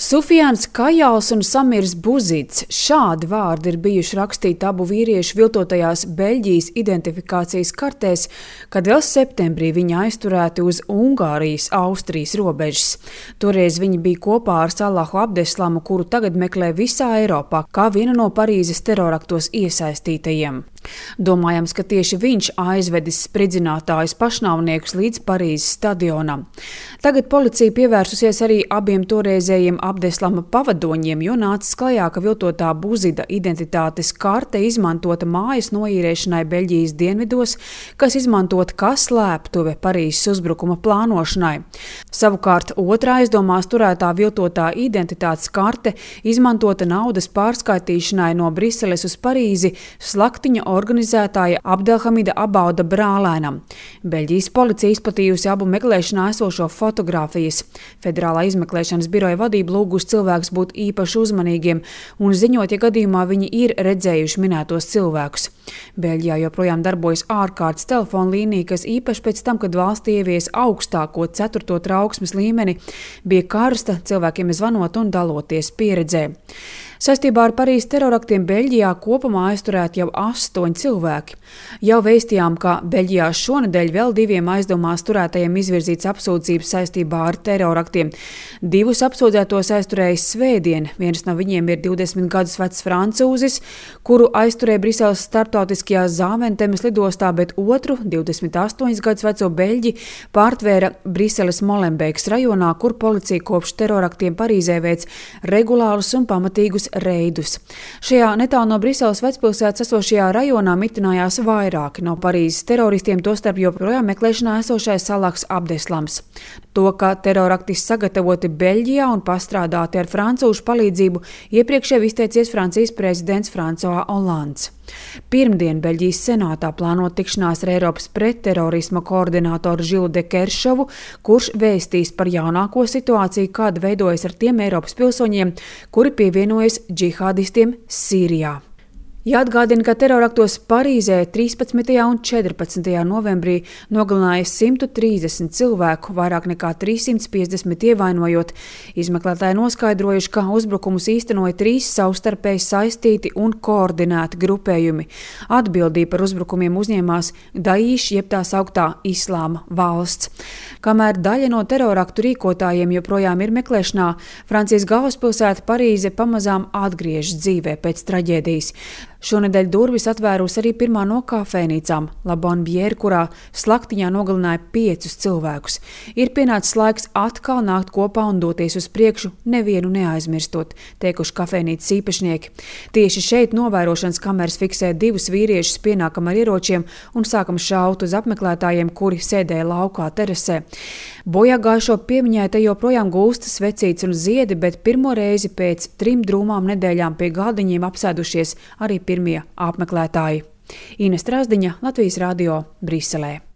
Sufjāns Kajals un Samirs Buzīts – šādi vārdi ir bijuši rakstīti abu vīriešu viltotajās Beļģijas identifikācijas kartēs, kad vēl septembrī viņi aizturēti uz Ungārijas-Austrijas robežas. Toreiz viņi bija kopā ar Salahu Abdeslamu, kuru tagad meklē visā Eiropā, kā vienu no Parīzes teroraktos iesaistītajiem. Domājams, ka tieši viņš aizvedis spridzinātājus pašnāvniekus līdz Parīzes stadionam. Tagad policija pievērsusies arī abiem toreizējiem Abdeslama pavadoņiem, jo nācis klajā, ka viltotā Buzida identitātes karte izmantota mājas noīrēšanai Beļģijas dienvidos, kas izmantota kā slēptuve Parīzes uzbrukuma plānošanai. Savukārt otrā aizdomās turētā viltotā identitātes karte izmantota naudas pārskaitīšanai no Briseles uz Parīzi slaktiņa organizētāja Abdelhamida Abauda brālēnam. Beļģijas policija izplatījusi abu meklēšanā esošo fotogrāfijas. Federālā izmeklēšanas biroja vadība lūgus cilvēkus būt īpaši uzmanīgiem un ziņot, ja gadījumā viņi ir redzējuši minētos cilvēkus. Beļģijā joprojām darbojas ārkārtas telefona līnija, kas īpaši pēc tam, kad valstī ievies augstāko 4. trauksmes līmeni, bija karsta cilvēkiem zvanot un daloties pieredzē. Saistībā ar Parīzes teroraktiem Beļģijā kopumā aizturēti jau 8 cilvēki. Jau vēstījām, ka Beļģijā šonedēļ vēl 2 aizdomās turētajiem izvirzīts apsūdzības saistībā ar teroraktiem. 2 apsūdzētos aizturējis svētdien. Viens no viņiem ir 20 gadus vecs francūzis, kuru aizturēja Briseles starptautiskajā Zāventemes lidostā, bet otru, 28 gadus veco Beļģi, pārtvēra Briseles Molenbeekas rajonā, kur policija kopš teroraktiem Parīzē veic regulārus un pamatīgus reidus. Šajā netālu no Briseles vecpilsētas esošajā rajonā mitinājās vairāki no Parīzes teroristiem, tostarp joprojām meklēšanā esošais Salahs Abdeslams. To, ka teroraktis sagatavoti Beļģijā un pastrādāti ar francūžu palīdzību, iepriekš jau izteicies Francijas prezidents François Hollands. Pirmdien Beļģijas senātā plānot tikšanās ar Eiropas pretterorisma koordinātoru Žilu de Keršovu, kurš vēstīs par jaunāko situāciju, kāda veidojas ar tiem Eiropas pilsoņiem, kuri pievienojas džihādistiem Sīrijā. Jāatgādina, ka teroraktos Parīzē 13. un 14. novembrī nogalināja 130 cilvēku, vairāk nekā 350 ievainojot. Izmeklētāji noskaidrojuši, ka uzbrukumus īstenoja 3 savstarpēji saistīti un koordinēti grupējumi. Atbildību par uzbrukumiem uzņēmās Daīš, jeb tā sauktā Islāma valsts. Kamēr daļa no teroraktu rīkotājiem joprojām ir meklēšanā, Francijas galvaspilsēta Parīze pamazām atgriežas dzīvē pēc traģēdijas. Šonedēļ durvis atvērusi arī pirmā no kafejnīcām La Bonbière, kurā slaktiņā nogalināja 5 cilvēkus. Ir pienācis laiks atkal nākt kopā un doties uz priekšu, nevienu neaizmirstot, teikuši kafejnīcas īpašnieki. Tieši šeit novērošanas kameras fiksē 2 vīriešus pienākam ar ieročiem un sākam šaut uz apmeklētājiem, kuri sēdēja laukā terasē. Bojāgājušo piemiņai te joprojām gulstas svecītes un ziedi, bet pirmo reizi pēc 3 drūmām nedēļām pie galdiņiem apsēdušies arī pirmie apmeklētāji. Ines Trasdiņa, Latvijas radio, Briselē.